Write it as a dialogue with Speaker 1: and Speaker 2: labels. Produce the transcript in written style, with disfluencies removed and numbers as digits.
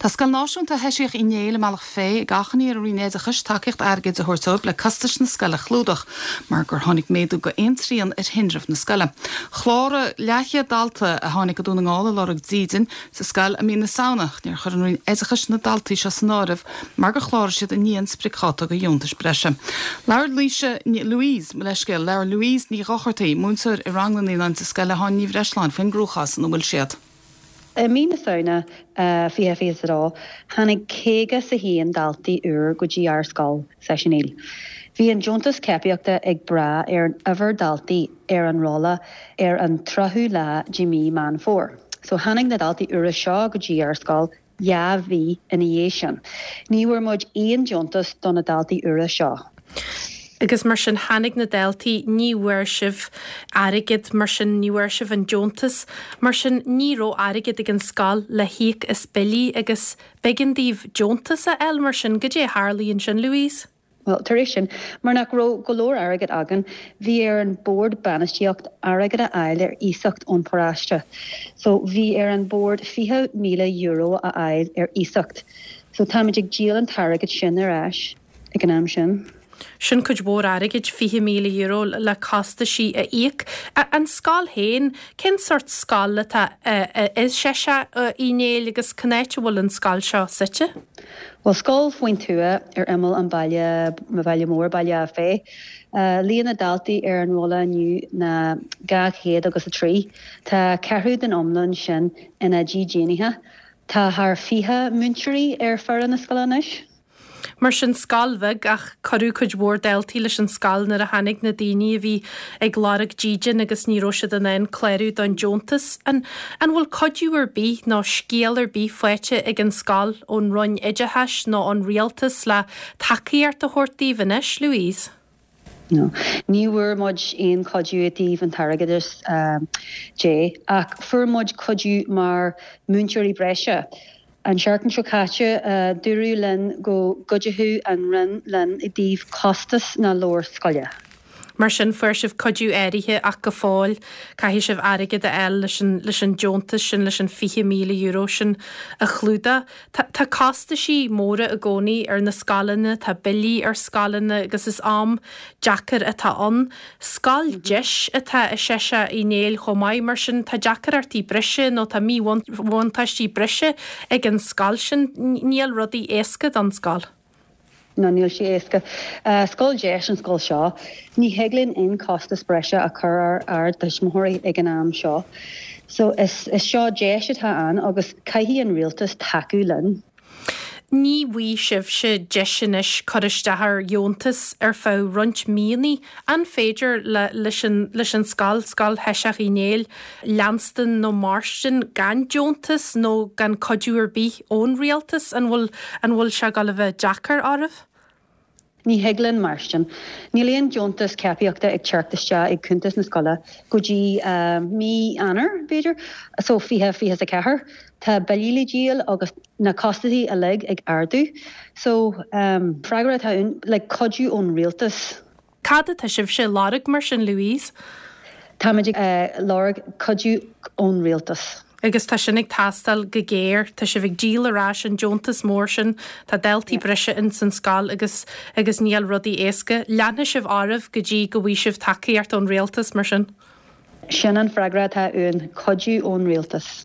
Speaker 1: Tá Scoil Náisiúnta Sheiseach Uí Néill i mBealach Féich ag achainí ar an Roinn Oideachais tacaíocht airgid a thabhairt dóibh le costais na scoile a chlúdach mar gur tháinig méadú go aon trian ar thinreamh na scoile. Chláraigh leathchéad dalta a tháinig go Dún na nGall ag lorg dídin sa scoil i mí na Samhna ach níor chuir an Roinn Oideachais na daltaí seo san áireamh mar gur chláraigh siad i ndiaidh an spriocdháta do dheontais breise. Labhair Laoise, Louise, mo leithscéal, labhair Louise Ní Dhochartaigh, múinteoir i rang na naíonán sa scoil le hÁine Ní Bhreisleáin faoin gcruachás ina bhfuil siad.
Speaker 2: I mí na Samhna 2022, tháinig 51 daltaí úr go dtí ár scoil, Seis Uí Néill. Bhí an deontas cóipíochta ag brath ar an uimhir daltaí ar an rolla ar an 30ú lá de mí Meán Fómhair. So tháinig na daltaí úra seo go dtí ár scoil 2 mhí ina dhiaidh sin. Ní bhfuair muid aon deontas do na daltaí úra seo.
Speaker 3: Agus mar sin tháinig na daltaí, ní bhfuair sibh airgead, mar sin ní bhfuair sibh an deontas, mar sin ní raibh airgead ag an scoil le híoc as billí agus b'éigean daoibh deontas a fháil mar sin, goidé a tharlaigh ansin Louise?
Speaker 2: Bhuel, tar éis sin, mar nach raibh go leor airgead againn, bhí ar an bord bainistíocht airgead a fháil ar iasacht ón paróiste. So, bhí ar an bord €20,000 a fháil ar iasacht. So, táimid ag díol an t-airgead sin ar ais ag an am sin.
Speaker 3: Sin cuid mhór airgid, €20,000 le costaisí a íoc. An scoil féin, cén sórt scoil atá i Seiseach Uí Néill agus cén áit a bhfuil an scoil seo suite?
Speaker 2: Bhuel, scoil faoin tuath ar imeall an baile, baile mór, Baile Átha Féith. Líon na daltaí ar an rolla inniu ná 200 agus 3. Tá ceathrú den iomlán sin ina dídeanaithe. Tá thar 20 múinteoirí ar foireann na scoile anois.
Speaker 3: Mar sin, scoil bheag ach cuireadh cuid mhór daltaí leis an scoil nuair a tháinig na daoine a bhí ag lorg dídean agus ní raibh siad in ann clárú don deontas. An an bhfuil cuidiú ar bith nó scéal ar bith faighte ag an scoil ón Roinn Oideachais nó ón Rialtas le tacaíocht a thabhairt daoibh anois, Louise?
Speaker 2: No. Ní bhfuair muid aon chuidiú i dtaobh an t-airgeadas de ach fuair muid cuidiú mar múinteoirí breise. An seachtain seo caite, dúradh linn go gcuideochadh an Roinn linn i dtaobh costas na leabhar scoile.
Speaker 3: Mar sin, fuair sibh cuidiú áirithe ach go fóill caithfidh sibh airgead a fháil leis an leis an deontas sin, leis an €20,000 sin a chlúdach. Tá tá costaisí móra i gcónaí ar na scoileanna, tá billí ar scoileanna agus is am deacair atá ann. Scoil deis atá i Seiseach Uí Néill chomh maith, mar sin tá deacaireachtaí breise nó tá míbhuntáistí breise ag an scoil sin. Níl rudaí éasca don scoil.
Speaker 2: No, níl sé éasca. Scoil deis an scoil seo. Ní thig linn aon costas breise a chur ar ár dtuismitheoirí ag an am seo. So is seo deis atá ann agus caithfidh an rialtas tacú linn.
Speaker 3: Ní bhfaighidh sibhse deis anois cur isteach ar dheontas ar feadh roinnt míonna. An féidir le leis an leis an scoil, Scoil Sheiseach Uí Néill, leanstan nó mairstin gan deontas nó gan cuidiú ar bith ón rialtas? An bhfuil an bhfuil sé ag dul a bheith deacair oraibh?
Speaker 2: Ní thig linn mairstin. Níl aon deontas cóipíochta ag teacht isteach ag cuntas na scoile go dtí mí Eanáir, b'fhéidir, so 2024. Tá billí le díol agus na costaisí uilig ag ardú. So, freagra atá ann, like cuidiú ón rialtas.
Speaker 3: Cad atá sibhse ag lorg mar sin, Louise?
Speaker 2: Táimid ag lorg cuidiú ón rialtas.
Speaker 3: Agus tá sin ag teastáil go géar. Tá sibh ag díol ar ais an deontas mór sin, tá daltaí breise ins an scoil agus agus níl rudaí éasca. Leanfaidh sibh oraibh go dtí go bhfaighidh sibh tacaíocht ón rialtas, mar sin?
Speaker 2: Sin an freagra atá uainn, cuidiú ón rialtas.